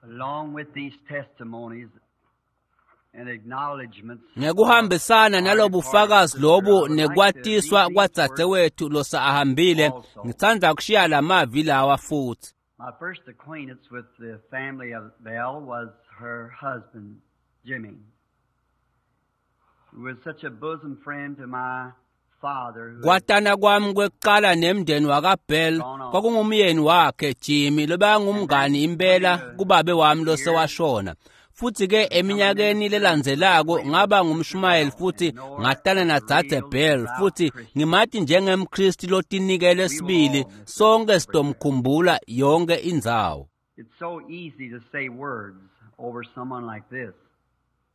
Along with these testimonies and acknowledgments Ngekuhambisana nalobufakazi lobu nekwatiswa kwadzadzewethu losaahambile, ngitsandza kushiya lamavi lawa futhi. My first acquaintance with the family of Bell was her husband, Jimmy, who was such a bosom friend to my father. Who had Kwatana kwami kwekuqala nemndeni wakaBell kwakungumyeni wakhe Jimmy lobekangumngani impela kubabe wami losewashona. Futhi ke eminyakeni lelandzelako ngaba ngumshumayeli futhi ngatana nadzadze Bell futhi ngimati njengemKristu lotinikele sibili, sonke sitomkhumbula yonke indzawo. It's so easy to say words over someone like this.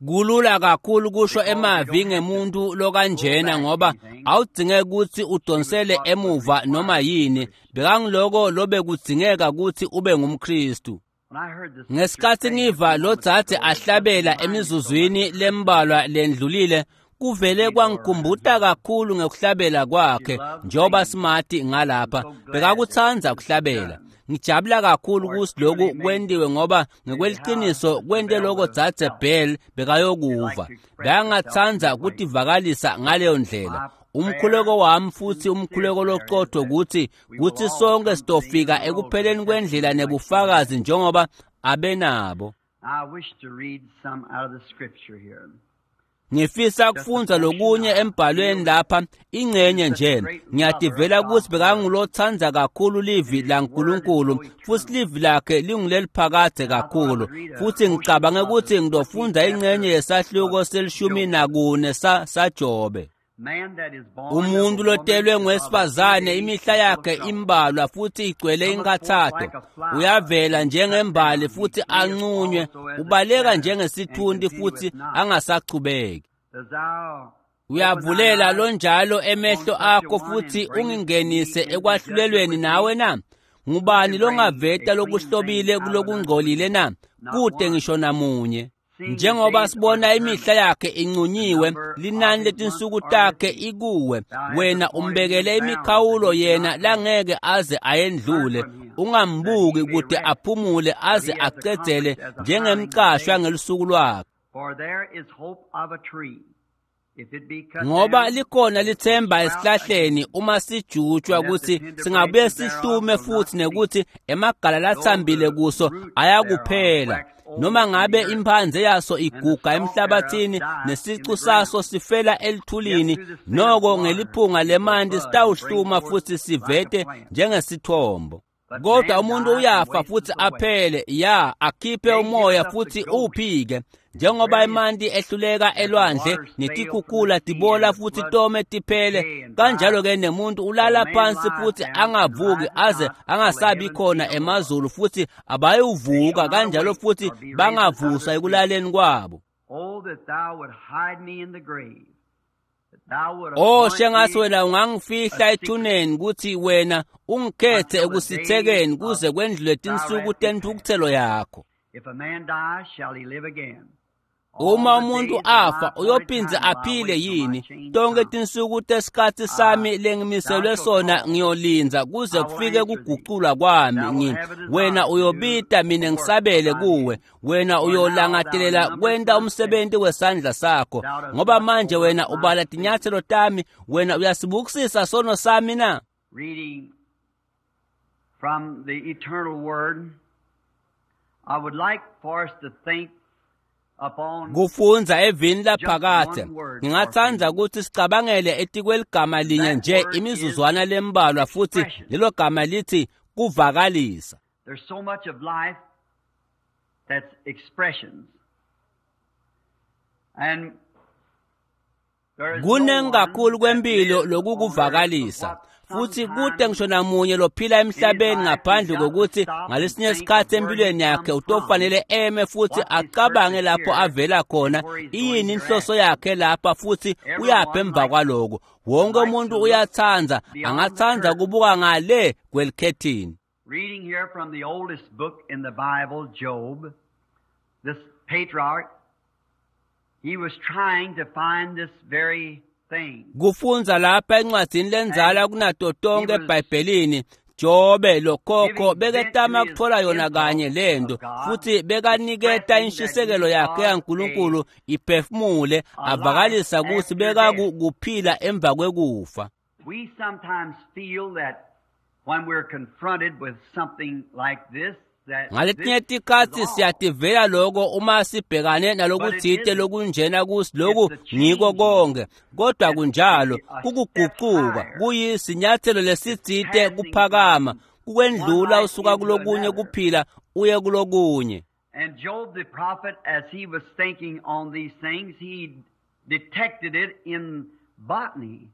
Kulula kakhulu kusho emavi ngemuntu lokanjena ngoba awudzingeki kutsi udonsele emuva noma yini, bekangiloko lobekudzingeka kutsi ube ngumKristu. When I heard the sister Ngesikhatsi sing a ngiva few lo moments dzadze ago, it just ahlabela reminded me so much emizuzwini lembalwa lendlulile, kuvele kwangikhumbuta kakhulu ngekuhlabela kwakhe njengoba simati ngalapha. Bekakutsandza kuhlabela. Ngijabula kakhulu kutsi loku kwentiwe ngoba ngekweliciniso kwente loko dzadze Bell bekayokuva. Bekangatsandza kutivakalisa ngaleyo ndlela. Umkhuleko wami futhi umkhuleko locotho kutsi sonke sitofika ekupheleni kwendlela nebufakazi njengoba abenabo. I wish to read some out of the scripture here. Ngifisa kufundza lokunye embhalweni lapha ingcenye nje. Ngiyativela kutsi bekangulotsandza kakhulu livi laNkulunkulu futhi livi lakhe linguleliphakadze kakhulu. Futhi ngicabange kutsi ngitofundza ingcenye yesahluko se-14 saJobe. Man that is born Umuntu of a woman lotelwe is of a ngowesifazane few days imihla and full of yakhe trouble. imbalwa futhi igcwele inkathato. Uyavela njengembali futhi anqunywe, ubaleka njengesithunti futhi angasachubeki. Does thou Uyavulela lonjalo emehlo akho futhi ungingenise ekwahlulelweni nawe na? Ngubani longaveta lokuhlobile kulokungcolile na? Kude ngisho namunye. Njengoba sibona imihla yakhe incunyiwe, linani letinsuku takhe ikuwe, wena umbekele imikhawulo yena langeke aze ayendlule. Ungambuki kude aphumule aze acedzele njengemcashwa ngelusuku lwakhe. For there is hope of a tree. If it be cut Ngoba down, likhona lithemba it will sprout esihlahleni again. uma sijutshwa kutsi singabuye sihlume futhi nekuthi emagala latsambile kuso ayakuphela. Noma ngabe imphandze yaso iguga emhlabathini nesicu saso sifela elithulini, noko ngeliphunga lemanti sitawuhluma futhi sivete njengesithombo. Kodwa umuntu uyafa futhi aphele, ya akhiphe umoya futhi uphike. Njengoba emanti ehluleka elwandle netikhukhula tibola futhi tome tiphele, kanjalo ke nemuntu ulala phansi futhi angavuki aze angasabi khona emazulu futhi abayuvuka kanjalo futhi bangavuswa ekulaleni kwabo. Oh, that thou would hide me in the grave. That thou would Oh, appoint shengathi me wena ungangifihla ethuneni kutsi wena ungikhethe ekusithekeni kuze kwendlule tinsuku tentfukutselo yakho. If a man die, shall he live again? All Uma the umuntu days of my afa appointed uyophindze time will I aphile wait till my yini? change Tonke come. tinsuku tesikhatsi sami lengimiselwe sona ngiyolindza kuze kufike kuguculwa kwami. Wena uyobita mina ngisabele kuwe, wena uyolangatelela kwenta umsebenzi wesandla sakho. Ngoba manje wena ubala tinyatselo tami, wena uyasibukisisa sono sami na? Reading from the eternal word, I would like for us to think upon Kufundza evini laphakadze, ngingatsandza kutsi sicabangele etikweligama linye nje imizuzwana lembalwa futhi lelo gama lithi kuvakalisa. There's so much of life that's expressions. And there is no Kunengi one kakhulu that kwempilo lives on earth lokukuvakalisa. but what Futhi kude sometimes ngisho namunye lophila emhlabeni ngaphandle kokuthi ngalesinye isikhathi empilweni yakhe utofanele eme futhi acabange lapho avela khona, iyini inhloso yakhe lapha futhi uyaphi emva kwaloko. Wonke umuntu uyatsandza, angatsandza kubuka ngale kwelikhethini. Reading here from the oldest book in the Bible, Job, this patriarch, he was trying to find this very thing. Kufundza lapha encwadzini lenzala kunato tonke eBhayibhelini, Jobe lokhokho beketama kuthola yona kanye lento futhi bekaniketa inshisekelo yakhe yaNkulunkulu iphefumule avakalisa kutsi bekakuphila emva kwekufa. We sometimes feel that when we're confronted with something like this, ngaletinye tikhatsi siyativela loko uma sibhekane nalokutsite lokunjena kusi loku ngiko konke, kodwa kunjalo kukugucuka kuyisinyathelo lesitsite kuphakama kukwendlula usuka kulokunye kuphila uye kulokunye. And Job the prophet, as he was thinking on these things, he detected it in botany.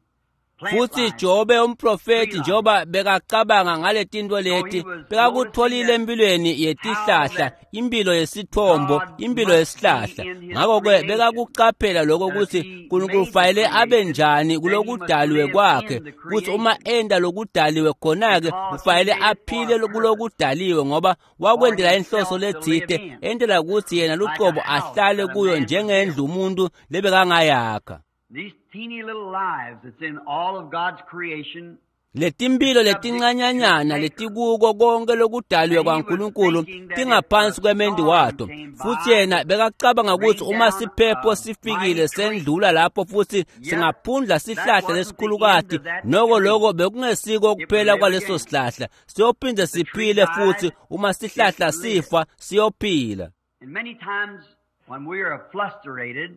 Futhi Jobe umprofeti njoba bekacabanga ngaletinto leti bekakutholile empilweni yetihlahla, impilo yesithombo, impilo yesihlahla. Ngakho-ke bekakucaphela lokho kutsi Nkulunkulu fanele abe njani kulokudaliwe kwakhe, kutsi uma enda lokudaliwe khona-ke ufanele aphile kulokudaliwe ngoba wakwendela inhloso letsite, endela kutsi yena lucobo ahlale kuyo njengendlu umuntu lebekangayakha. These teeny little lives that's in all of God's creation. Letimpilo letincanyanyana letikuko konke lokudaliwe kwaNkulunkulu tingaphansi kwemendi wato. Futhi yena bekacabanga kutsi uma siphepho sifikile sendlula lapho futhi singaphundla sihlahla lesikhulukati, noko loko bekungesiko kuphela kwaleso sihlahla, siyophinde siphile futhi uma sihlahla sifa siyophila. And many times when we are frustrated,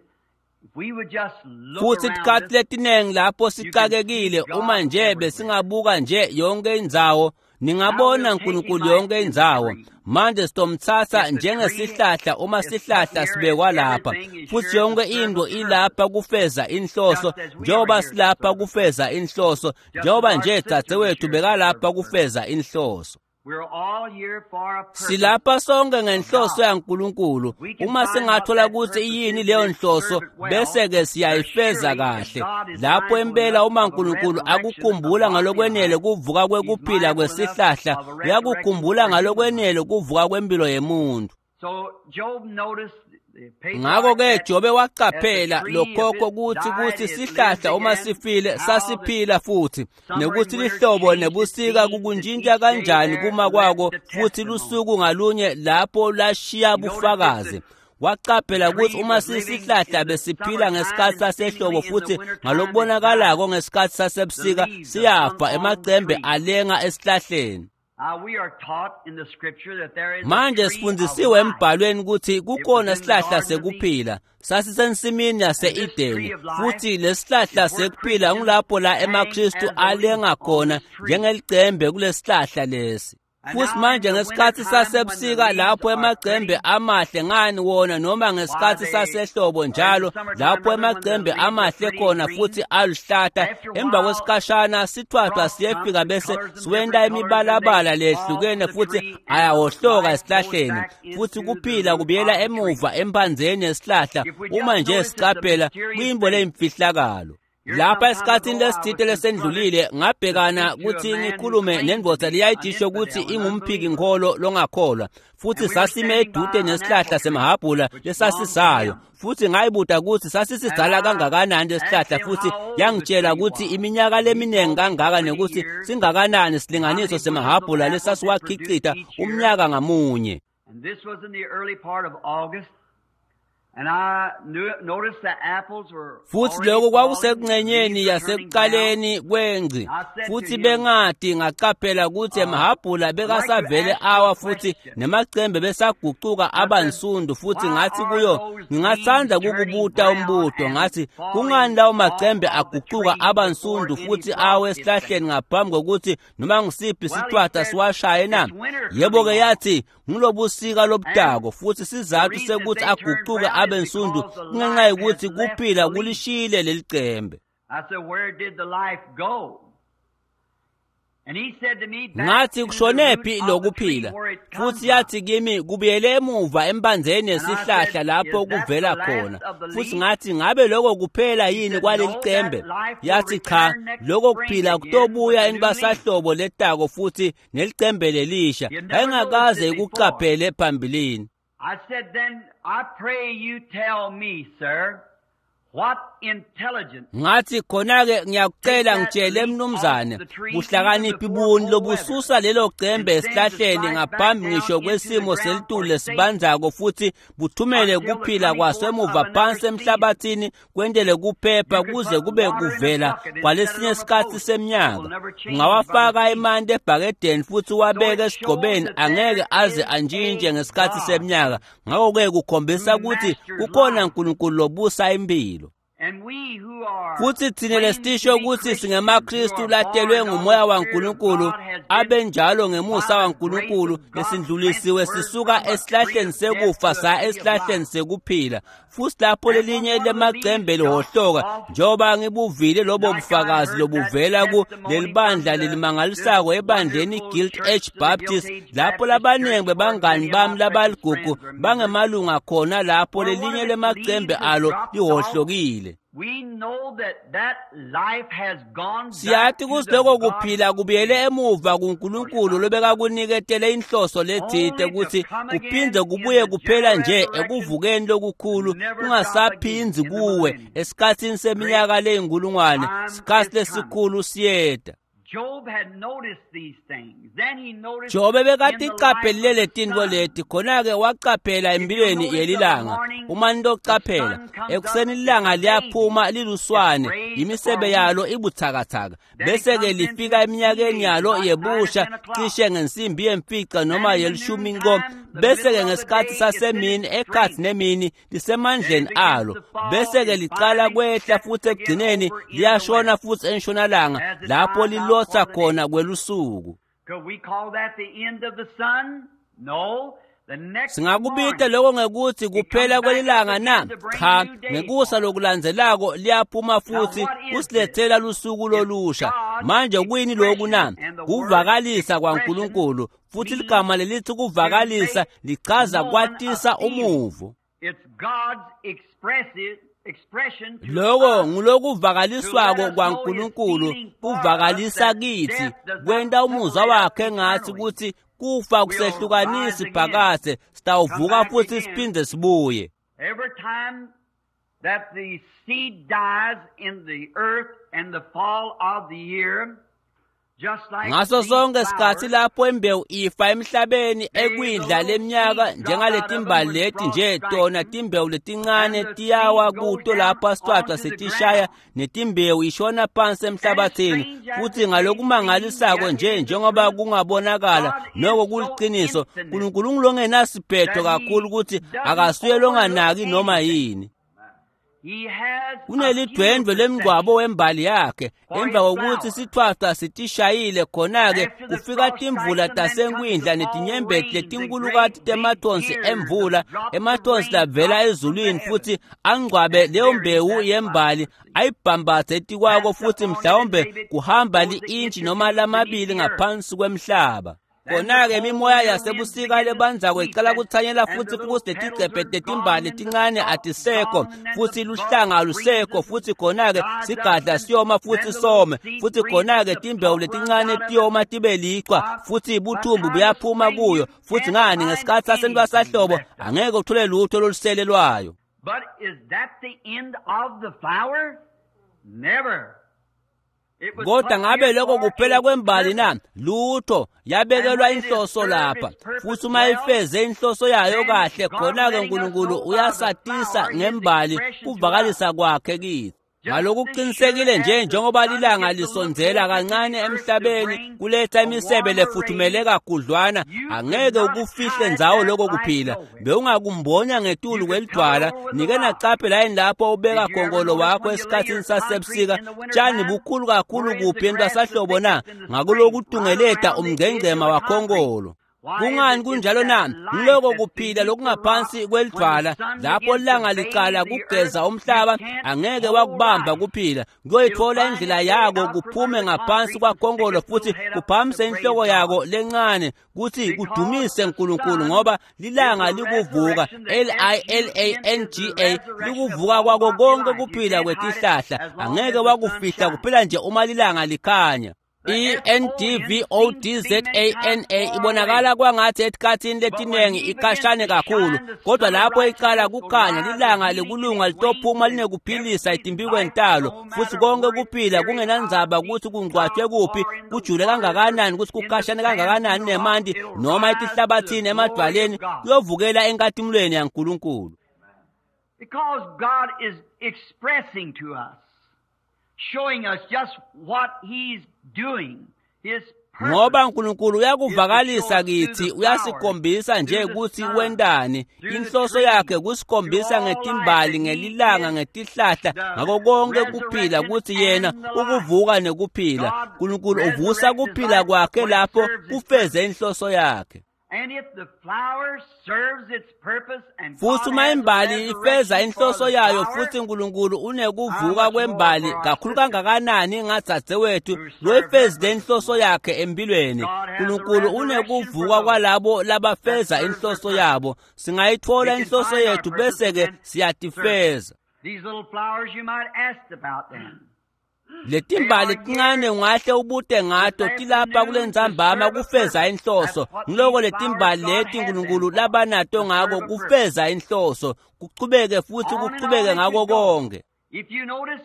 futhi tikhatsi letiningi lapho sicakekile uma nje besingabuka nje yonke indzawo, ningabona uNkulunkulu yonke indzawo. Manje sitomtsatsa njengesihlahla uma sihlahla sibekwa lapha, futhi yonke into ilapha kufeza inhloso, njengoba silapha kufeza inhloso, njengoba nje dzadzewethu bekalapha kufeza inhloso. Silapha sonke ngenhloso yaNkulunkulu. Uma singathola kutsi iyini leyo nhloso bese-ke siyayifeza kahle. Lapho impela uma uNkulunkulu akukhumbula ngalokwenele kuvuka kwekuphila kwesihlahla, uyakukhumbula ngalokwenele kuvuka kwempilo yemuntu. Ngakho-ke Jobe wacaphela lokhokho kutsi sihlahla uma sifile sasiphila futhi, nekuthi lihlobo nebusika kukuntshintsha kanjani kuma kwako futhi lusuku ngalunye lapho lashiya bufakazi. Wacaphela kutsi uma sisihlahla besiphila ngesikhatsi sasehlobo futhi ngalokubonakalako ngesikhatsi sasebusika siyafa, emacembe alenga esihlahleni. Manje sifundzisiwe embhalweni kutsi kukhona sihlahla sekuphila, sasisensimini yase-Edeni, futhi lesihlahla sekuphila ngulapho la emaKristu alenga khona njengelicembe kulesihlahla lesi. Futhi manje ngesikhatsi sasebusika lapho emacembe amahle ngani wona, noma ngesikhatsi sasehlobo njalo lapho emacembe amahle khona futhi aluhlata, emva kwesikhashana sithwathwa siyefika bese siwenta imibalabala lehlukene futhi ayawohloka esihlahleni, futhi kuphila kubuyela emuva emphandzeni yesihlahla uma nje sicaphela kuyintfo leyimfihlakalo. Lapha esikhatsini lesitsite lesendlulile ngabhekana kutsi ngikhulume nendvodza leyayijisho kutsi ingumphiki-nkholo longakholwa, futhi sasime edude nesihlahla semahhabhula lesasisayo, futhi ngayibuta kutsi sasisidzala kangakanani lesihlahla, futhi yangitshela kutsi iminyaka leminingi kangaka nekuthi singakanani silinganiso semahhabhula lesasiwakhicita umnyaka ngamunye. And this was in the early part of August. And I noticed the apples were futhi lokho kwakusekuncenyeni yasekuqaleni kwengci, futhi bengati ngacaphela kutsi emahhabhula bekasavele awa futhi nemacembe besagucuka abansundu, futhi ngathi kuyo ngingatsandza kukubuta umbuto, ngathi kungani lawo macembe agucuka abansundu futhi awe esihlahleni ngaphambi kokuthi noma ngisiphi sithwatha siwashaye na? Yebo-ke yathi ngulobusika lobutako, futhi sizathu sekuthi agucuke abensundu kungenxa yokuthi kuphila kulishile lelicembe. I said, where did the life go? And he said to me, ngathi kushonephi lokuphila? Futhi yathi kimi kubuyele emuva embandzeni yesihlahla lapho kuvela khona. Futhi ngathi ngabe lokho kuphela yini kwalelicembe? Yathi cha, lokho kuphila kutobuya entwasahlobo letako futhi nelicembe lelisha. Yayingakaze ikucaphele phambilini. I said, then I pray you tell me, sir, Ngathi khona-ke ngiyakucela ngitshele mnumzane, buhlakaniphi buni lobususa lelo cembe esihlahleni ngaphambi ngisho kwesimo selitulu lesibandzako futhi buthumele kuphila kwaso emuva phansi emhlabathini kwentele kuphepha kuze kube kuvela kwalesinye isikhathi seminyaka. Ungawafaka emanti ebhakedeni futhi uwabeke esigqobeni, angeke aze antshintshe ngesikhathi seminyaka. Ngakho-ke kukhombisa ukuthi kukhona uNkulunkulu lobusa impilo. Futhi thina lesisho ukuthi singemaKristu latelwe ngumoya waNkulunkulu, abenjalo ngemusa waNkulunkulu, lesindlulisiwe sisuka esihlahleni sekufa saya esihlahleni sekuphila. Futhi lapho lelinye lemacembe lihohloka, njengoba ngibuvile lobo bufakazi lobuvela ku lelibandla lelimangalisako ebandleni Guild H Baptist, lapho labaningi bebangani bami labaligugu bangemalunga khona lapho lelinye lemacembe alo lihohlokile. Siyathi ukuthi lokho kuphila kubuyele emuva kuNkulunkulu lobekakuniketele inhloso lethite ukuthi kuphinde kubuye kuphela nje ekuvukeni lokukhulu, kungasaphindzi kuwe esikhathini seminyaka leyinkulungwane. Sikhathi lesikhulu siyeta. Jobe bekatiqaphelile letintfo leti, khona-ke wacaphela empilweni yelilanga. Uma nitocaphela, ekuseni ilanga liyaphuma liluswane, imisebe yalo ibuthakathaka, bese-ke lifika eminyakeni yalo yebusha cishe ngensimbi yemfica noma yelishumi nko, bese-ke ngesikhathi sasemini ekhathi nemini lisemandleni alo, bese-ke licala kwehla futhi ekugcineni liyashona futhi entshonalanga lapho lilotsa khona kwelusuku. Singakubita lokho ngekuthi kuphela kwelilanga na? Cha, ngekusa lokulandzelako liyaphuma futhi kusilethela lusuku lolusha. Manje kuyini lokhu na? Kuvakalisa kwaNkulunkulu, futhi ligama lelithi kuvakalisa lichaza kwatisa umuvo. Lokho ngulokuvakaliswako kwaNkulunkulu, kuvakalisa kithi, kwenta umuzwa wakhe ngathi ukuthi kufa kusehlukanisi phakathe, sitawuvuka futhi siphinde sibuye. Every time that the seed dies in the earth and the fall of the year, ngaso sonke isikhathi lapho imbewu ifa emhlabeni ekwindla leminyaka, njengaletimbali leti nje tona timbewu letincane tiyawa kuto lapho asitwaca setishaya, netimbewu ishona phansi emhlabathini. Futhi ngalokumangalisako nje njengoba kungabonakala noko kuliqiniso, uNkulunkulu ngilongenasiphetho kakhulu ukuthi akasuye longanaki noma yini. Kunelidwendwe lemngcwabo wembali yakhe emva kokuthi sithwathwa sitishayile, khona-ke kufika timvula tasenkwindla netinyembeti letinkulukati temathonsi emvula, emathonsi lavela ezulwini, futhi angcwabe leyo mbewu yembali ayibhambathe etikwako, futhi mhlawumbe kuhamba li-intshi noma lamabili ngaphansi kwemhlaba. Khona-ke imimoya yasebusika lebandzako icala kuthanyela futhi futhi letigcebhe tetimbali letincane atisekho, futhi luhlanga alusekho, futhi khona-ke sigadla siyoma futhi some, futhi khona-ke timbewu letincane tiyoma tibe lichwa, futhi buthumbu buyaphuma kuyo. Futhi ngani, ngesikhathi sasentwasahlobo angeke uthole lutho lolusele lwayo. But is that the end of the flower? Never. Kodwa ngabe lokho kuphela kwembali na? Lutho, yabekelwa inhloso lapha. Futhi uma ifeze inhloso yayo kahle, khona-ke uNkulunkulu uyasatisa ngembali kuvakalisa kwakhe kithi. Ngalokuqinisekile nje njengoba lilanga lisondzela kancane emhlabeni kuletha imisebe lefuthumele kakhudlwana, angeke ukufihle ndzawo lokho kuphila. Bewungakumbonya ngetulu kwelidwala, nike nacaphela yini lapho ubeka khonkolo wakho esikhathini sasebusika, tshani bukhulu kakhulu kuphi entwasahlobo na? Ngakulokutungeleta umngcengcema wakhonkolo. Kungani kunjalo na? Ngiloko kuphila lokungaphansi kwelidwala, lapho langa licala kugeza umhlaba, angeke wakubamba kuphila. Kuyoyithola indlela yako kuphume ngaphansi kwakhonkolo futhi kuphamise inhloko yako lencane kuthi kudumise uNkulunkulu, ngoba lilanga likuvuka, L-I-L-A-N-G-A, likuvuka kwako konke kuphila kwetihlahla. Angeke wakufihla kuphela nje uma lilanga likhanya. E-N-D-V-O-D-Z-A-N-A ibonakala kwangathi etikhathini letiningi ikhashane kakhulu, kodwa lapho iqala kukhanya lilanga lekulunga litophuma linekuphilisa etimpikweni talo, futhi konke kuphila kungenandzaba ukuthi kungcwatshwe kuphi, kujule kangakanani, ukuthi kukhashane kangakanani nemanti noma etihlabathini emadwaleni, kuyovukela enkatimulweni yaNkulunkulu. Because God is expressing to us, showing us just what He's doing, His purpose. Ngoba uNkulunkulu uyakuvakalisa kithi, uyasikhombisa nje ukuthi wendani. Inhloso yakhe kusikhombisa ngetimbali, ngelilanga, ngetihlahla, ngako konke kuphila ukuthi yena ukuvuka nekuphila. uNkulunkulu uvusa kuphila kwakhe lapho kufeze inhloso yakhe. And if the flower serves its purpose and Futhi God uma has a imbali ifeza resurrection for inhloso the yayo, flower, futhi uNkulunkulu unekuvuka kwembali kakhulu kangakanani ngadzadzewethu loyifezile inhloso yakhe empilweni. uNkulunkulu unekuvuka kwalabo labafeza inhloso yabo. Singayithola inhloso yethu bese-ke siyatifeza. These little flowers you might ask about them. Letimbali tincane ungahle ubute ngato tilapha kulentsambama kufeza inhloso. Ngiloko letimbali leti uNkulunkulu labanato ngako kufeza inhloso, kuchubeke futhi On and kuchubeke on it ngako could go. konke. If you notice,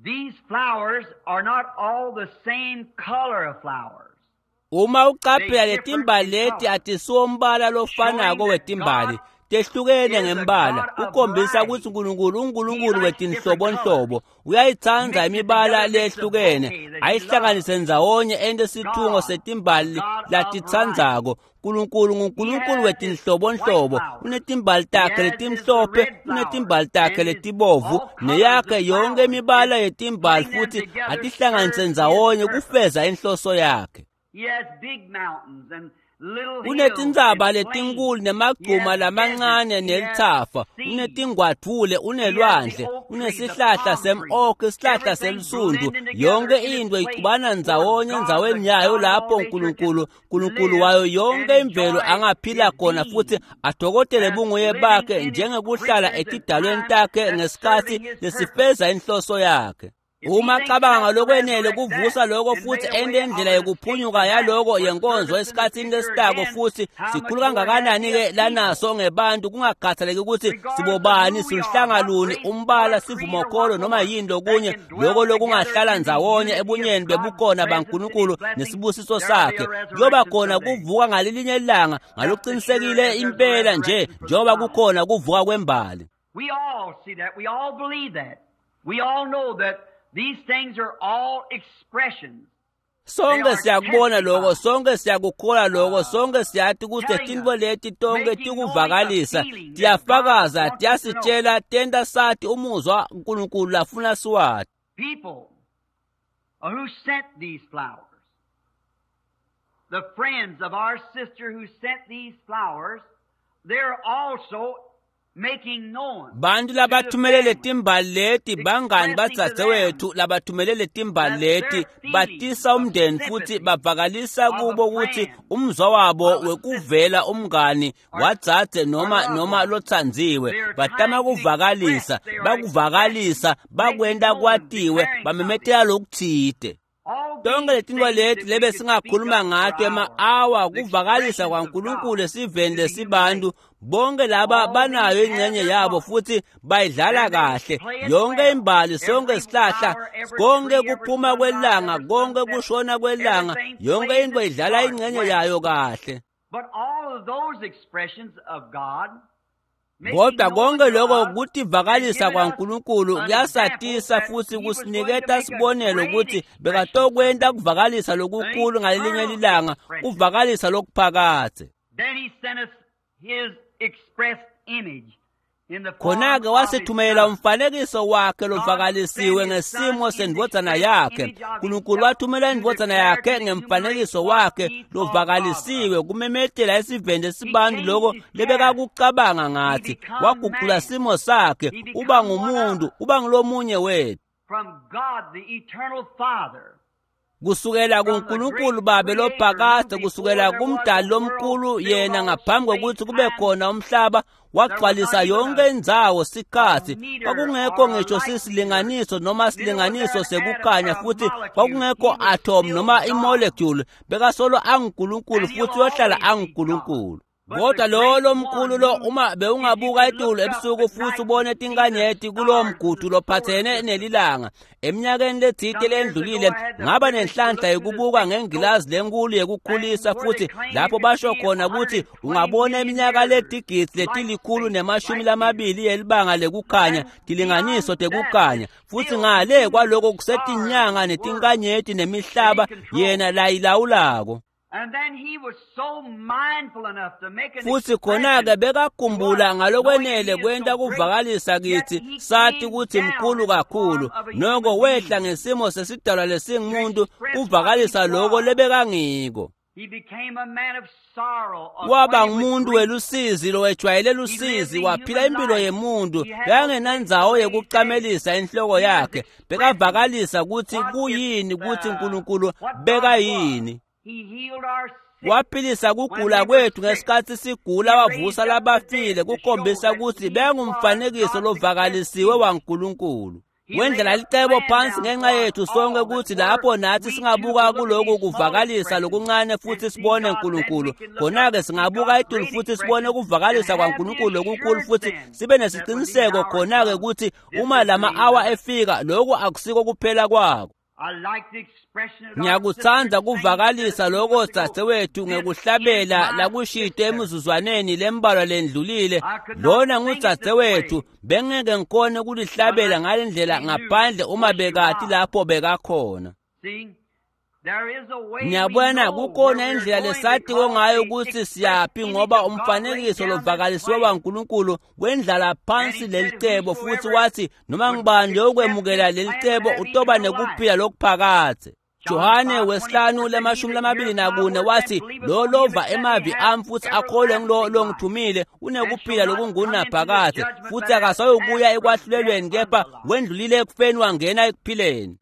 these flowers are not all the same color of flowers. Uma uqaphela letimbali leti atisiwo umbala lofanako wetimbali, tehlukene ngembala, kukhombisa ukuthi uNkulunkulu unguNkulunkulu wetinhlobonhlobo. Uyayitsandza imibala leyehlukene, ayihlanganise ndzawonye ente sithungo setimbali latitsandzako. uNkulunkulu nguNkulunkulu wetinhlobonhlobo, unetimbali takhe letimhlophe, unetimbali takhe letibovu, neyakhe yonke imibala yetimbali, futhi atihlanganise ndzawonye kufeza inhloso yakhe. He has big mountains and little hills Unetintsaba and plains. letinkulu nemagcuma lamancane nelithafa, unetingwadvule, unelwandle, unesihlahla sem-oak, isihlahla selusundu. Yonke into ixubana ndzawonye endzaweni yayo lapho uNkulunkulu, uNkulunkulu wayo yonke imvelo angaphila khona futhi adokotele bunguye bakhe njengekuhlala etidalweni takhe ngesikhathi lesifeza inhloso yakhe. Uma cabanga ngalokwenele kuvusa lokho futhi ente indlela yokuphunyuka yaloko yenkonzo esikhathini lesitako, futhi sikhulu kangakanani-ke lanaso ngebantu, kungakhathaleki ukuthi sibobani, siluhlanga luni, umbala, sivumokholo noma yini lokunye, loko lokungahlala ndzawonye ebunyeni bebukhona baNkulunkulu nesibusiso sakhe. Kuyoba khona kuvuka ngalelinye ilanga ngalokuqinisekile impela nje njengoba kukhona kuvuka kwembali. We all see that. We all believe that. We all know that these things are all expressions. Sonke siyakubona lokho, sonke siyakukholwa lokho, sonke siyati ukuthi letintfo leti tonke tikuvakalisa, tiyafakaza, tiyasitshela, tenta sati umuzwa uNkulunkulu lafuna siwati. People who sent these flowers, the friends of our sister who sent these flowers, they're also making known Bantu labathumele letimbali leti, bangani badzadzewethu labathumele letimbali leti, batisa umndeni futhi bavakalisa kubo ukuthi umzwa wabo wekuvela umngani wadzadze noma lotsandziwe. Batama kuvakalisa, bakuvakalisa, bakwenta kwatiwe, bamemetela lokutsite. All Tonke these letintfo things leti that we lebe could speak singakhuluma of ngato for ema-awa hours, the kuvakalisa expressions of kwaNkulunkulu God esiveni to the human lesibantu, race. bonke laba All banayo these have ingxenye their yabo part. futhi bayidlala And they kahle. play it Yonke well. imbali, sonke Every isihlahla, flower, every konke tree, every kuphuma sunrise, kwelanga, every konke sunset, kushona kwelanga, everything yonke plays into its idlala part ingxenye well. yayo kahle. But all of those expressions of God, making Kodwa known konke to lokho us and kutivakalisa giving us kwaNkulunkulu an example kuyasatisa that futhi he was going to kusiniketa make a sibonelo great ukuthi expression bekatokwenta someday, kuvakalisa an lokukhulu ngalelinye eternal lilanga, expression. kuvakalisa lokuphakadze. Then he sent us his expressed image in the form Khona-ke of his wasithumela Son. umfanekiso wakhe God sent lovakalisiwe his Son ngesimo in the sendvodzana express yakhe. image of uNkulunkulu himself wathumela to indvodzana declare yakhe to the human race ngemfanekiso what wakhe he thought of us. lovakalisiwe kumemetela esiveni He lesibantu changed loko his character. lebekakucabanga He ngathi. become Wagucula man. simo sakhe, He uba become one of ngumuntu, us. uba ngulomunye wethu. From God, the eternal Father. Kusukela kuNkulunkulu Babe lophakade, kusukela kumdali lomkhulu yena ngaphambi kokuthi kube khona umhlaba, wagcwalisa yonke indzawo sikhathi. Kwakungekho ngisho sisilinganiso noma silinganiso sekukhanya, futhi kwakungekho atom noma imolecule. Bekasolo anguNkulunkulu futhi uyohlala anguNkulunkulu. Kodwa lo lomkhulu lo, uma bewungabuka etulu ebusuku futhi ubone tinkanyeti kulowo mgudu lophathene nelilanga, eminyakeni letsite lendlulile ngaba nenhlanhla yokubuka ngengilazi lenkulu yekukhulisa, futhi lapho basho khona ukuthi ungabona iminyaka letigidzi letilikhulu nemashumi lamabili yelibanga lekukhanya, tilinganiso tekukhanya, futhi ngale kwaloko kusetinyanga netinkanyeti nemihlaba yena layilawulako. Futhi khona-ke bekakhumbula ngalokwenele kwenta kuvakalisa kithi sathi ukuthi mkhulu kakhulu, noko wehla ngesimo sesidalwa lesingumuntu kuvakalisa loko lebekangiko. Waba ngumuntu welusizi lowejwayele lusizi, waphila impilo yemuntu, bekangenandzawo yekucamelisa inhloko yakhe, bekavakalisa ukuthi kuyini, ukuthi uNkulunkulu bekayini. Waphilisa kugula kwethu ngesikhathi sigula, wavusa labafile, kukhombisa ukuthi bekungumfanekiso lovakalisiwe waNkulunkulu. Wendlela licebo phansi ngenxa yethu sonke ukuthi lapho nathi singabuka kuloku kuvakalisa lokuncane futhi sibone uNkulunkulu, khona-ke singabuka etulu futhi sibone ukuvakalisa kwaNkulunkulu lokukhulu futhi sibe nesiciniseko khona-ke ukuthi uma lama-awa efika, lokhu akusiko kuphela kwako. Ngiyakuthanda kuvakalisa lokho dzadzewethu ngekuhlabela lakushito emizuzwaneni lembalwa lendlulile. Lona ngudzadzewethu, bengeke ngikhone kulihlabela ngale ndlela ngaphandle uma bekati lapho bekakhona. Ngiyabona kukhona indlela lesatiko ngayo ukuthi siyaphi, ngoba umfanekiso lovakalisiwe waNkulunkulu wendlala phansi lelicebo, futhi wathi noma ngibani lokwemukela lelicebo utoba nekuphila lokuphakadze. Johane wesihlanu lemashumi lamabili nakune wathi lo lova emavi ami futhi akholwe ngilo longithumile unekuphila lokungunaphakadze, futhi akasayokuya ekwahlulelweni, kepha wendlulile ekufeni wangena ekuphileni.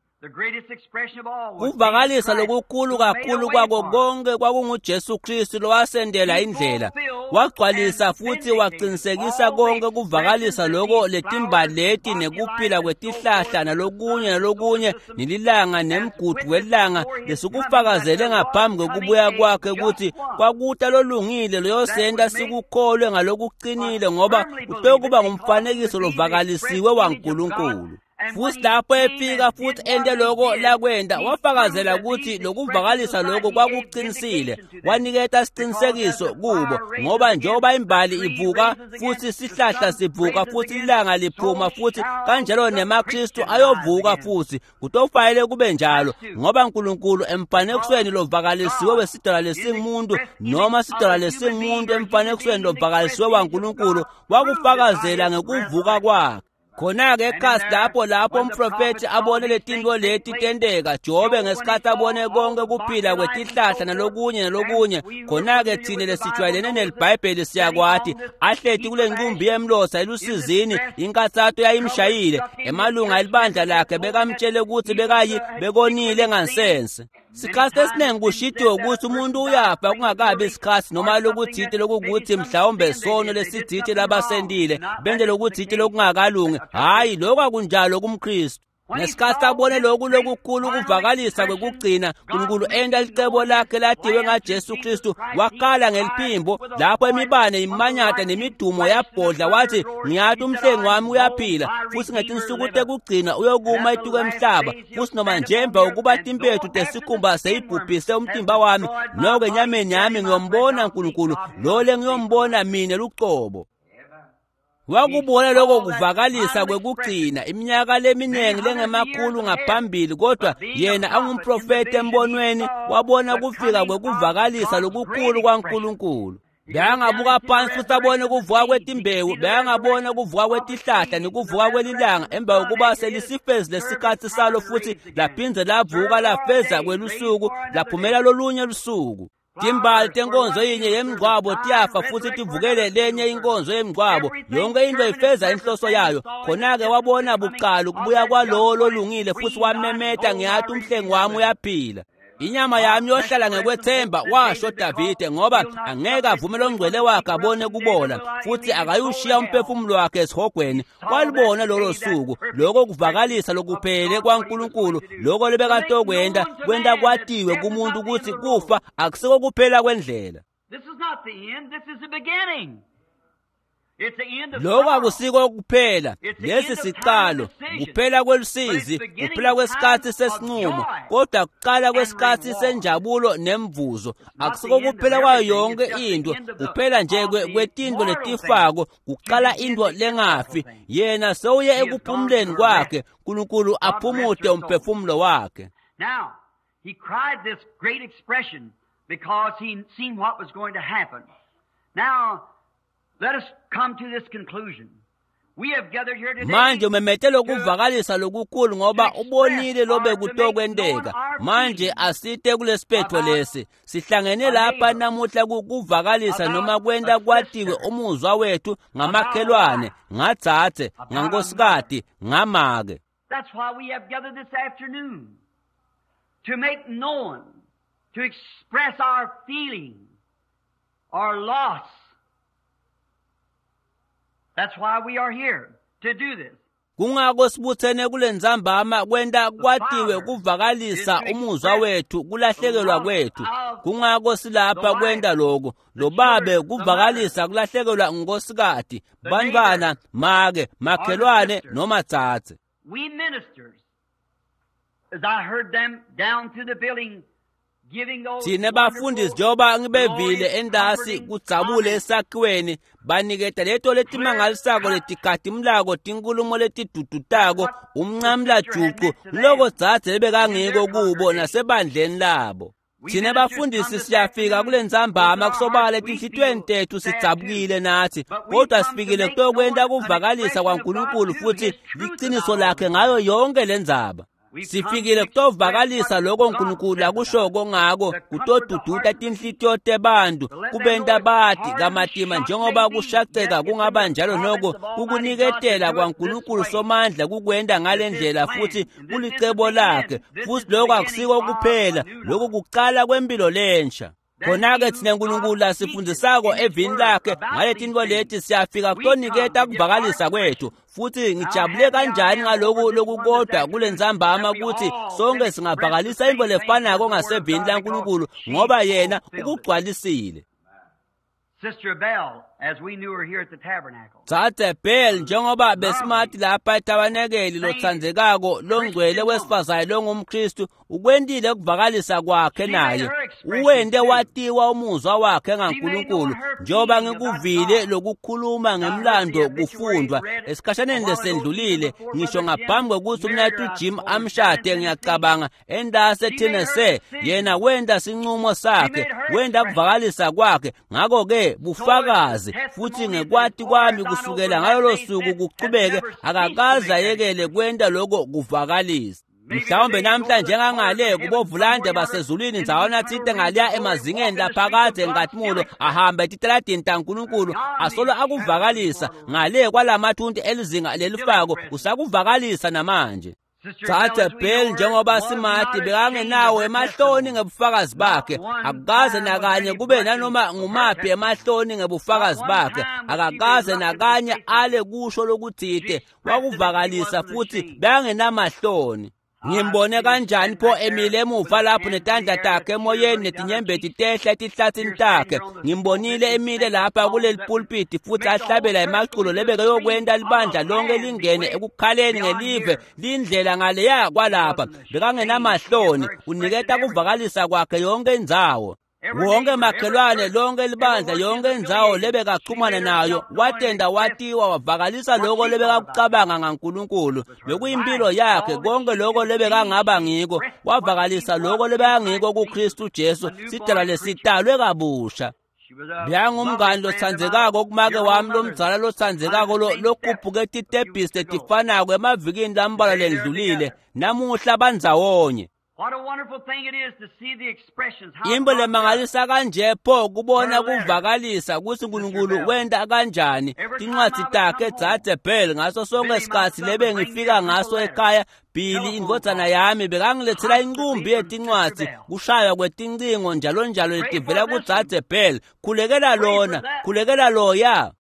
Kuvakalisa lokukhulu kakhulu kwako konke kwakunguJesu Kristu lowasendela indlela, wagcwalisa futhi waqinisekisa konke kuvakalisa loko letimbali leti nekuphila kwetihlahla nalokunye nalokunye nelilanga nemgudu welanga lesikufakazele ngaphambi kokubuya kwakhe ukuthi kwakuta lolungile loyosenta sikukholwe ngalokuqinile, ngoba utokuba ngumfanekiso lovakalisiwe waNkulunkulu. Futhi lapho efika futhi ente loko lakwenta, wafakazela ukuthi lokuvakalisa lokho kwakuqinisile, waniketa isiqinisekiso kubo, ngoba njengoba imbali ivuka futhi sihlahla sivuka futhi ilanga liphuma futhi kanjalo nemaKristu ayovuka futhi, kutofanele kube njalo, ngoba uNkulunkulu emfanekisweni lovakalisiwe wesidalwa lesingumuntu noma sidalwa lesingumuntu emfanekisweni lovakalisiwe waNkulunkulu wakufakazela ngekuvuka kwakhe. Khona-ke ekhasi lapho umprofethi abone letinto leti tenteka, Jobe ngesikhathi abone konke kuphila kwetihlahla nalokunye nalokunye, khona-ke thine lesijwayelene neliBhayibheli siyakwati, ahleti kule nqumbi yemlotha elusizini, inkathato yayimshayile, emalunga elibandla lakhe bekamtshele ukuthi bekayi bekonile ngansense. Sikhathi esiningi kushitiwe ukuthi umuntu uyafa kungakabi isikhathi noma lokuthite lokukuthi mhlawumbe sono lesithite labasentile bente lokuthite lokungakalungi. Hhayi, lokho akunjalo kumKristu. Ngesikhathi abone lokhu lokukhulu kuvakalisa kwekugcina, uNkulunkulu enta licebo lakhe latiwe ngaJesu Kristu, wakhala ngeliphimbo lapho imibane imanyata nemidumo yabhodla, wathi ngiyathi umhlengi wami uyaphila, futhi ngetinsuku tekugcina uyokuma etuku emhlaba, futhi noma nje emva kokuba timpethu tesikhumba seyibhubhise umtimba wami, noko enyameni yami ngiyombona uNkulunkulu, lo lengiyombona mina lucobo. Wakubona lokho kuvakalisa kwekugcina iminyaka leminingi lengemakhulu ngaphambili, kodwa yena angumprofeti embonweni wabona kufika kwekuvakalisa lokukhulu kwaNkulunkulu. Bekangabuka phansi futhi abone kuvuka kwetimbewu, bekangabona kuvuka kwetihlahla nekuvuka kwelilanga emva kokuba selisifezi lesikhathi salo, futhi laphindze lavuka lafeza kwelusuku laphumela lolunye lusuku. Timbali tenkonzo yinye yemngcwabo tiyafa futhi tivukele lenye inkonzo yemngcwabo. Yonke into ifeza inhloso yayo. Khona-ke wabona buqala ukubuya kwalowo lolungile futhi wamemeta, ngiyathi umhlengi wami uyaphila. Inyama yami yohlala ngekwethemba, washo Davide, ngoba angeke avumele ongcwele wakhe abone kubola, futhi akayushiya umphefumulo wakhe esihogweni. Walibona lolo suku, lokho kuvakalisa lokuphele kwaNkulunkulu, lokho lebekatokwenta kwenta kwatiwe kumuntu ukuthi kufa akusiko kuphela kwendlela. This is not the end, this is the beginning. It's the end of Lokho sorrow. akusiko kuphela, lesi siqalo, kuphela kwelusizi, kuphela kwesikhathi sesinqumo, kodwa kuqala kwesikhathi senjabulo nemvuzo. Akusiko kuphela kwayo yonke into, kuphela nje kwetinto letifako, kuqala into lengafi. Yena sewuye ekuphumuleni kwakhe, uNkulunkulu aphumute umphefumulo wakhe. Now, he cried this great expression because he seen what was going to happen. Now, let us come to this conclusion. We have gathered here today Manje umemete lokuvakalisa lokukhulu ngoba ubonile lobe kutokwenteka. Manje asite kulesiphetho lesi. Sihlangene lapha namuhla kuvakalisa noma kwenta kwatiwe umuzwa wethu ngamakhelwane, ngadzadze, ngankosikati, ngamake. That's why we have gathered this afternoon to make known, to express our feeling, our loss. That's why we are here to do this. Kungako sibuthene kule ntsambama kwenta kwatiwe kuvakalisa umuzwa wethu kulahlekelwa kwethu. Kungako silapha kwenta lokho. Lo babe kuvakalisa kulahlekelwa ngunkosikazi, bantwana, make, makhelwane noma dzadze. We ministers, as I heard them down through the building, giving those Thina bafundisi wonderful, njengoba ngibevile glorious, endasi comforting kudzabule comments, esakhiweni baniketa leto letimangalisako letigatimulako tinkhulumo letidudutako umncamlajucu loko dzadze lebekangiko kubo nasebandleni labo. Thina bafundisi siyafika kule ntsambama kusobala etinhlitiyweni tethu sidzabukile nathi, kodwa sifikile kutokwenta kuvakalisa kwaNkulunkulu futhi liciniso lakhe ngayo yonke lendzaba. Sifikile kutovakalisa lokho uNkulunkulu akushoko ngako kutoduduta tinhlitiyo tebantu kubenta bati kamatima njengoba kushaceka kungaba njalo noko kukuniketela kwaNkulunkulu somandla kukwenta ngale ndlela futhi kulicebo lakhe futhi lokho akusiko kuphela lokhu kuqala kwempilo lensha. Khona-ke thina uNkulunkulu asifundzisako evini lakhe ngale tintfo leti siyafika kutoniketa kuvakalisa kwethu futhi ngijabule kanjani ngaloku lokukodwa kule ntsambama ukuthi sonke singavakalisa intfo lefanako ngasevini laNkulunkulu ngoba yena ukugcwalisile. Sister Bell, as we knew her here at the tabernacle. Dzadze Bell njengoba besimati lapha etabanekeli lotsandzekako longcwele wesifazane longumKristu ukwentile kuvakalisa kwakhe naye uwente watiwa umuzwa wakhe ngaNkulunkulu njengoba ngikuvile lokukhuluma ngemlando kufundwa esikhashaneni lesendlulile ngisho ngaphambi kwekutsi umnaketfu Jim amshade ngiyacabanga endase Tennessee yena wenta sincumo sakhe wenta kuvakalisa kwakhe ngako-ke bufakazi futhi ngekwati kwami kusukela ngalolo suku kuchubeke akakaze ayekele kwenta lokho kuvakalisa. Mhlawumbe namhla njengangale kubovulande basezulwini ndzawana tsite ngaliya emazingeni laphakadze nkatimula ahambe etitaladini taNkulunkulu asolo akuvakalisa ngale kwalamathunti elizinga lelifako usakuvakalisa namanje. Dzadze Bell njengoba simati bekangenawo emahloni ngebufakazi bakhe akukaze nakanye kube nanoma ngumaphi emahloni ngebufakazi bakhe akakaze nakanye ale kusho lokutsite wakuvakalisa futhi bekangenamahloni. Ngimbone kanjani pho emile emuva lapho netandla takhe emoyeni netinyembeti tehla etihlatsini takhe. Ngimbonile emile lapha kuleli pulpiti futhi ahlabela emaculo lebekayokwenta libandla lonke lingene ekukhaleni ngelive lindlela ngaleya kwalapha. Bekangenamahloni uniketa kuvakalisa kwakhe yonke indzawo. Wonke makhelwane lonke libandla yonke indzawo lebekachumana nayo watenda watiwa wavakalisa lokho lebekakucabanga ngaNkulunkulu bekuyimpilo yakhe konke lokho lebekangaba ngiko wavakalisa lokho lebekangiko kuKristu Jesu sidalwa lesitalwe kabusha. Beyangumngani lotsandzekako kumake wami lomdzala lotsandzekako lokhuphuke titebhisi letifanako emavikini lambalwa lendlulile namuhla bandzawonye. Intfo lemangalisa kanje pho kubona kuvakalisa kutsi Nkulunkulu wenta kanjani tincwadzi takhe Dzadze Bell ngaso sonke sikhatsi lebe ngifika ngaso ekhaya. Billy indvodzana yami bekangilethela incumbi yetincwadzi, kushaywa kwetincingo njalo njalo letivela kuDzadze Bell. Khulekela lona, khulekela loya.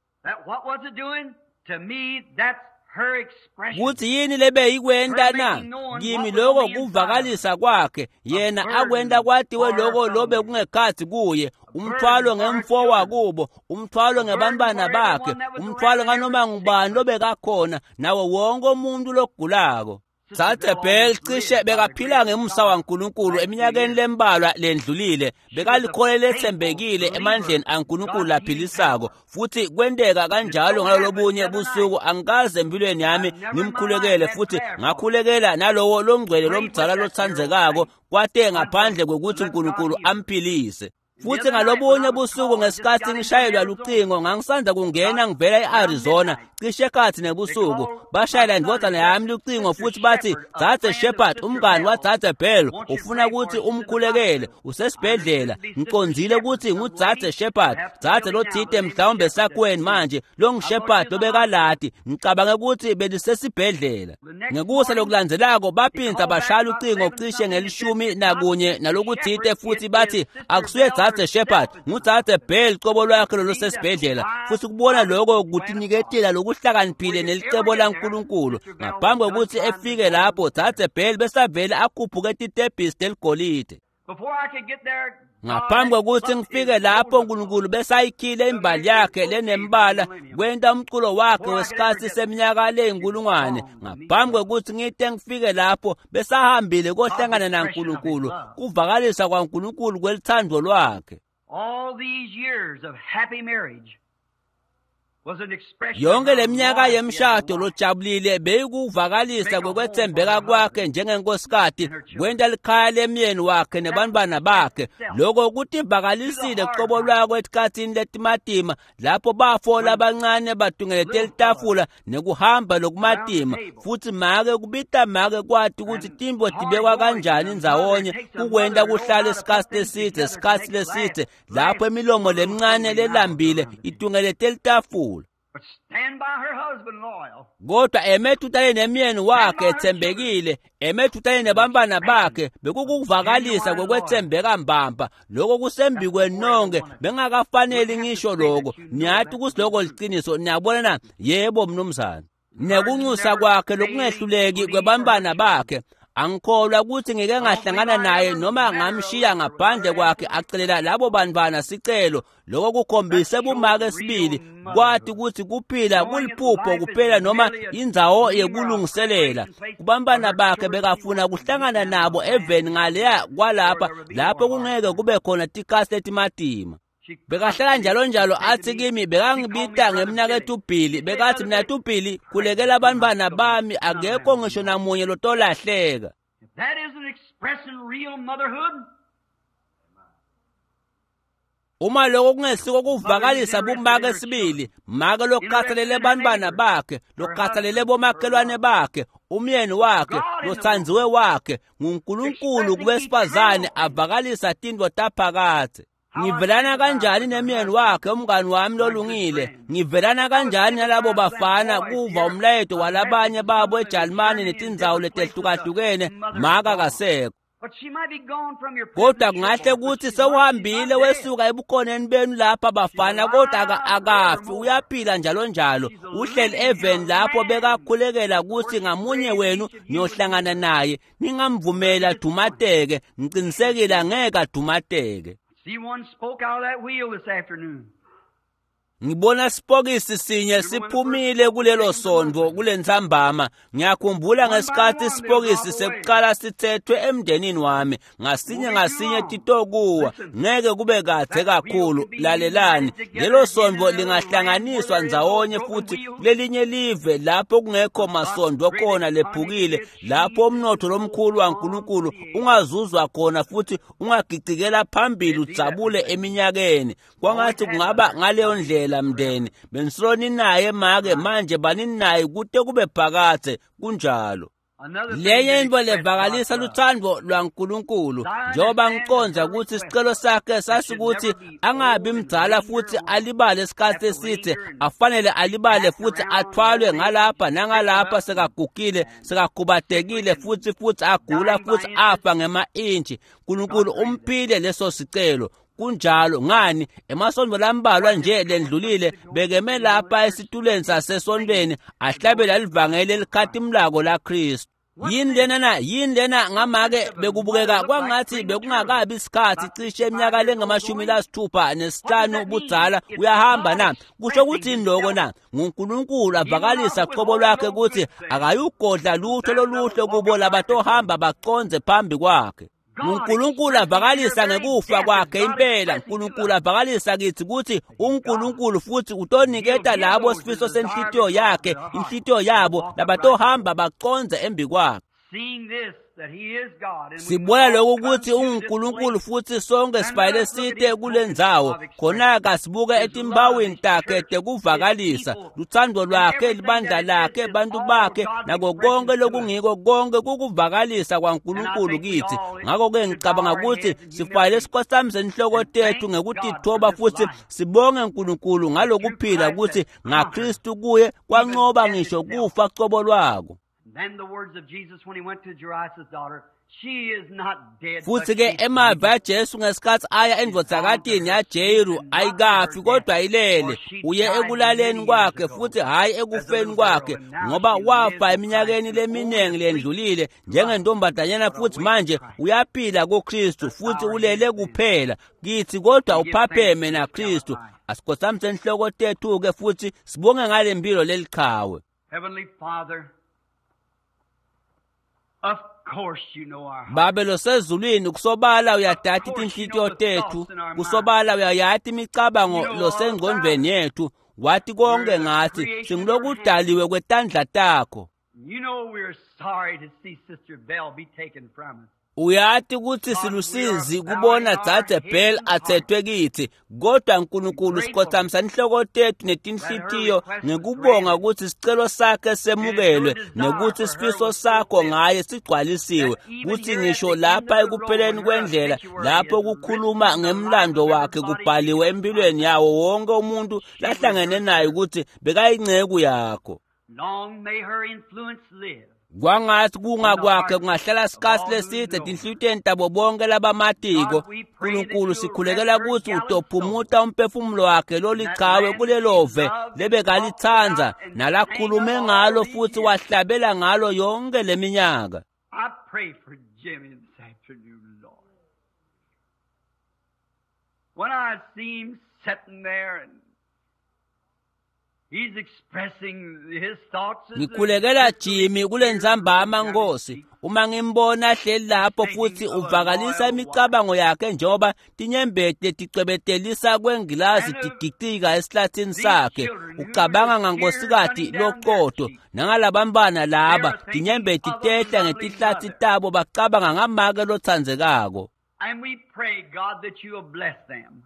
Kutsi yini lebeyikwenta na? Kimi loko kuvakalisa kwakhe, yena akwenta kwatiwe loko lobe kungekhatsi kuye, umthwalo ngemfo wakubo, umthwalo ngebantwana bakhe, umthwalo nganoma ngubani lobekakhona, nawo wonke umuntu logulako. Dzadze Bell cishe bekaphila ngemusa waNkulunkulu eminyakeni lembalwa lendlulile, bekalikholwa letsembekile emandleni aNkulunkulu laphilisako, futhi kwenteka kanjalo ngalolobunye busuku. Angikaze empilweni yami ngimkhulekele, futhi ngakhulekela nalowo longcwele lomdzala lotsandzekako, kwate ngaphandle kwekutsi Nkulunkulu amphilise. Futhi ngalobunye busuku ngesikhatsi ngishayelwa lucingo, ngangisandza kungena ngivela e-Arizona cishe ekhatsi nebusuku, bashayela indvodzana yami lucingo futhi bathi, Dzadze Shepherd, umngani waDzadze Bell ufuna kutsi umkhulekele, usesibhedlela. Ngicondzile kutsi nguDzadze Shepherd, dzadze lotsite mhlawumbe sakweni manje longuShepherd lobekalati, ngicabange kutsi belisesibhedlela. Ngekusa lokulandzelako baphindza bashaya lucingo cishe nge-11 nalokutsite futhi bathi akusuye Dzadze Shepherd, nguDzadze Bell cobo lwakhe lolosesibhedlela. Futhi kubona lokho kutiniketela lokuhlakaniphile nelicebo laNkulunkulu. Ngaphambi kwekutsi efike lapho, Dzadze Bell besavele akhuphuke titebhisi teligolide. Ngaphambi kwekutsi ngifike lapho, Nkulunkulu besayikhile imbali yakhe lenembala kwenta umculo wakhe wesikhatsi seminyaka leyinkulungwane. Ngaphambi kwekutsi ngite ngifike lapho, besahambile kohlangana naNkulunkulu, kuvakalisa kwaNkulunkulu kwelithando lwakhe. Yonke leminyaka yemshado lojabulile beyikuvakalisa kwekwetsembeka kwakhe njengenkosikati, kwenta likhaya lemyeni wakhe nebantwana bakhe. Loko kutivakalisile cobo lwako etikhatsini letimatima, lapho bafo labancane batungelete litafula nekuhamba lokumatima, futhi make kubita make kwati kutsi tintfo tibekwa kanjani ndzawonye kukwenta kuhlale isikhatsi lesidze, lapho imilomo lemincane lelambile itungelete litafula. Kodwa emetutane nemyeni wakhe etsembekile, emetutane nebantwana bakhe, bekukuvakalisa kwekwetsembeka mbamba. Loko kusembikweni nonke, bengakafaneli ngisho loko. Niyati kutsi loko liciniso, niyabona na? Yebo mnumzane. Nekunxusa kwakhe lokungehluleki kwebantwana bakhe, angikholwa kutsi ngike ngahlangana naye noma ngamshiya ngaphandle kwakhe acelela labo bantwana sicelo. Loko kukhombise bumake sibili, kwati kutsi kuphila kuliphupho kuphela noma indzawo yekulungiselela. Kubantwana bakhe bekafuna kuhlangana nabo eveni ngaleya kwalapha, lapho kungeke kube khona tikhatsi letimatima. Bekahlala njalo njalo athi kimi, bekangibita ngemnaketfu Billy, bekathi mnaketfu Billy, khulekela abantwana bami, akekho ngisho namunye lotolahleka. Uma loko kungesiko kuvakalisa bumake sibili, make lokhathalele bantwana bakhe, lokhathalele bomakhelwane bakhe, umyeni wakhe, lotsandziwe wakhe, nguNkulunkulu kubesifazane avakalisa tintfo taphakadze. Ngivelana kanjani nemyeni wakhe, umngani wami lolungile? Ngivelana kanjani nalabo bafana kuva umlayeto walabanye babo eJalimane netindzawo letehlukahlukene, maka kasekho. Kodwa kungahle kutsi sewuhambile wesuka ebukhoneni benu lapha bafana, kodwa akafi, uyaphila njalo njalo. Uhleli eveni lapho bekakhulekela kutsi ngamunye wenu niyohlangana naye. Ningamvumeli adumateke, ngicinisekile angeke adumateke. Ngibona sipokisi sinye siphumile kulelo sondvo kulentsambama. Ngiyakhumbula ngesikhatsi sipokisi sekuqala sithethwe emndenini wami, ngasinye ngasinye titokuwa, ngeke kube kadze kakhulu. Lalelani, lelo sondvo lingahlanganiswa ndzawonye futhi kulelinye live lapho kungekho masondvo khona lephukile, lapho umnotho lomkhulu waNkulunkulu ungazuzwa khona futhi ungagicikela phambili udzabule eminyakeni. Kwangathi kungaba ngaleyo ndlela mndeni. Benisolo ninaye make, manje baninaye kute kube phakadze. Kunjalo. Lenye intfo levakalisa lutsandvo lwaNkulunkulu, njengoba ngicondza kutsi sicelo sakhe sasikuthi angabi mdzala futsi alibale isikhatsi esitse, afanele alibale futsi athwalwe ngalapha nangalapha sekagugile, sekakhubatekile futsi agula futsi afa ngema-intshi. Nkulunkulu umphile leso sicelo. Kunjalo ngani emasontfo lambalwa nje lendlulile bekeme lapha esitulweni sasesontfweni ahlabela livangeli elikhatimlako laKhristu. Yini lena na? Yini lena ngamake bekubukeka kwangathi bekungakabi isikhathi cishe eminyaka lengama-65 budzala uyahamba na? Kusho kuthini lokho na? NguNkulunkulu avakalisa qobo lwakhe ukuthi akayugodla lutho loluhle kubo labatohamba bacondze phambi kwakhe. uNkulunkulu avakalisa ngekufa kwakhe impela. uNkulunkulu avakalisa kithi ukuthi uNkulunkulu futhi utoniketa labo sifiso senhlitiyo yakhe, inhlitiyo yabo labatohamba bacondze embi kwakhe. Sibona lokhu ukuthi unguNkulunkulu futhi sonke sifanele site kule ndzawo. Khona-ke sibuke etimbawini takhe tekuvakalisa lutsandvo lwakhe, libandla lakhe, bantu bakhe, nako konke lokungiko, konke kukuvakalisa kwaNkulunkulu kithi. Ngakho-ke ngicabanga ukuthi sifanele sikhothamise inhloko tethu ngekutithoba futhi sibonge uNkulunkulu ngalokuphila ukuthi ngaKristu kuye kwanqoba ngisho kufa cobo lwako. Futhi ke emavi aJesu ngesikhathi aya endvodzakatini yaJeru, ayikafi kodwa ilele, uye ekulaleni kwakhe futhi hhayi ekufeni kwakhe, ngoba wafa eminyakeni leminingi lendlulile njengentombazanyana, futhi manje uyaphila kuKristu futhi ulele kuphela kithi, kodwa uphapheme naKristu. Asikhothamise inhloko tethu-ke futhi sibonge ngale mpilo leliqhawe. Babe losezulwini, kusobala uyadati tinhlitiyo tethu, kusobala uyayati imicabango losengcondvweni yethu, wathi konke ngathi singilokudaliwe kwetandla takho. Uyati ukuthi silusizi kubona Dzadze Bell athethwe kithi, kodwa Nkulunkulu sikhothamisa inhloko tethu netinhlitiyo ngekubonga ukuthi sicelo sakhe semukelwe nekuthi sifiso sakho ngaye sigcwalisiwe, kuthi ngisho lapha ekupheleni kwendlela lapho kukhuluma ngemlando wakhe kubhaliwe empilweni yawo wonke umuntu lahlangene naye ukuthi bekayinceku yakho. Kwangathi kunga kwakhe kungahlala isikhathi leside tinhlitiyweni tabo bonke labamatiko. Nkulunkulu sikhulekela ukuthi utophumuta umphefumulo wakhe lolichawe kulelove lebekalitsandza nalakhulume ngalo futhi wahlabela ngalo yonke leminyaka. Ngikhulekela Jimmy kule ntsambama Nkosi, uma ngimbona hleli lapho futhi uvakalisa imicabango yakhe njengoba tinyembeti ticwebetelisa kwengilazi tigicika esihlathini sakhe, ucabanga ngankosikazi loqotho nangalabantwana laba, tinyembeti tehla ngetihlathi tabo, bacabanga ngamake lotsandzekako. And we pray, God, that you will bless them.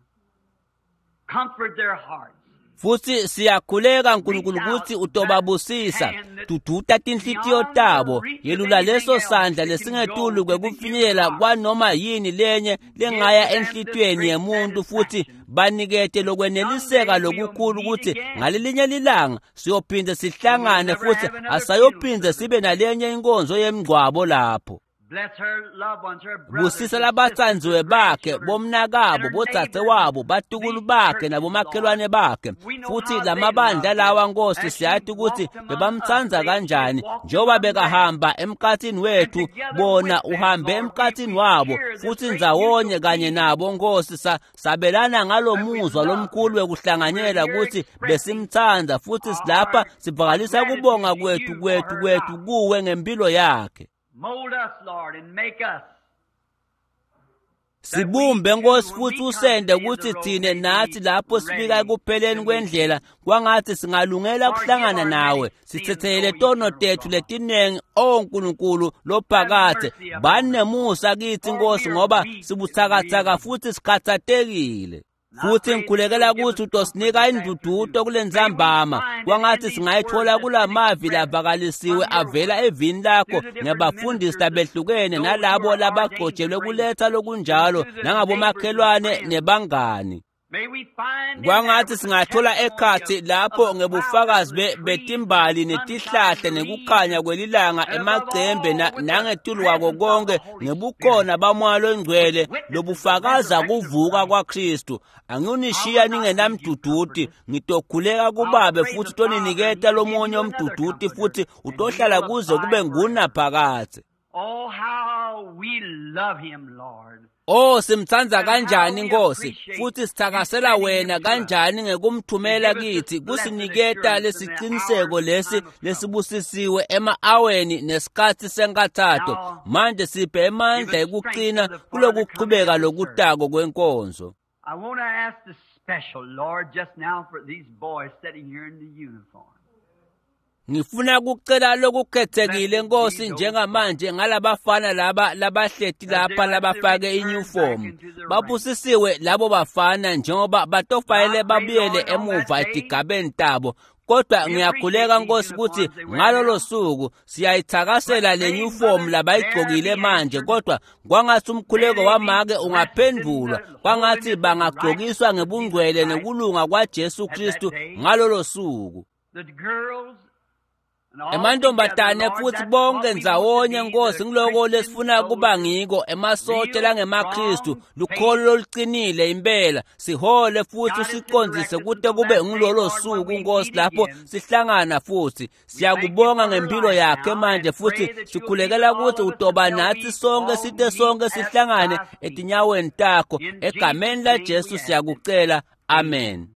Comfort their hearts. Futhi siyakhuleka Nkulunkulu ukuthi utobabusisa, duduta tinhlitiyo tabo, yelula leso sandla lesingetulu kwekufinyelela kwanoma yini lenye lengaya enhlitiyweni yemuntu, futhi banikete lokweneliseka lokukhulu ukuthi ngalelinye lilanga siyophinde sihlangane futhi asayophinde sibe nalenye inkonzo yemngcwabo lapho. Busisa labatsandziwe bakhe, bomnakabo, bodzadzewabo, batukulu bakhe nabomakhelwane bakhe. Futhi lamabandla lawa Nkosi siyati ukuthi bebamtsandza kanjani, njengoba bekahamba emkhathini wethu, bona uhambe emkhathini wabo, futhi ndzawonye kanye nabo Nkosi sabelana ngalomuzwa lomkhulu wekuhlanganyela ukuthi besimtsandza, futhi silapha sivakalisa kubonga kwethu kwethu kwethu kuwe ngempilo yakhe. Mold us, Lord, and make us. Sibumbe Nkosi futhi usende ukuthi thine nathi lapho sifika ekupheleni kwendlela kwangathi singalungela ukuhlangana nawe, sithethelele tono tethu letinengi, o Nkulunkulu lophakathe. Bani nemusa kithi Nkosi, ngoba sibuthakathaka futhi sikhathatekile. Futhi ngikhulekela ukuthi utosinika indududo kulentsambama kwangathi singayithola kulamavi lavakalisiwe avela evini lakho ngebafundisi labehlukene nalabo labagcotshelwe kuletha lokunjalo nangabomakhelwane nebangani. Kwangathi singathola ekhathi lapho ngebufakazi betimbali netihlahla nekukhanya kwelilanga emacembe nangetulu kwako konke ngebukhona bamoya longcwele lobufakaza kuvuka kwaKristu. Angiyonishiya ningenamduduti, ngitokhuleka kubabe futhi toniniketa lomunye umduduti futhi utohlala kuze kube ngunaphakadze. Oh, how we love him, Lord. Oh, simtsandza kanjani Nkosi, futhi sithakasela wena kanjani ngekumthumela kithi kusiniketa lesiciniseko lesi lesibusisiwe ema-aweni nesikhatsi senkathato. Manje siphe emandla ekuqina kulokuchubeka lokutako kwenkonzo. I want to ask the special, Lord, just now for these boys sitting here in the uniform. Ngifuna kucela lokukhethekile Nkosi njengamanje ngalabafana laba labahleti lapha labafake iuniform. Babusisiwe labo bafana njengoba batofayele babuyele emuva etigabeni tabo. Kodwa ngiyakhuleka Nkosi ukuthi ngalolo suku siyayithakasela le uniform labayigcokile manje, kodwa kwangathi umkhuleko wamake ungaphendulwa, kwangathi bangagcokiswa ngebungcwele nekulunga kwaJesu Kristu ngalolo suku. The girls Emantombazane futhi bonke ndzawonye Nkosi ngiloko lesifuna kuba ngiko emasotsha langemaKristu lukholo loluqinile impela sihole futhi usiqondzise kute kube ngilolo suku Nkosi lapho sihlangana futhi siyakubonga ngempilo yakhe manje futhi sikhulekela ukuthi utoba nathi sonke site sonke sihlangane etinyaweni takho egameni laJesu siyakucela, amen.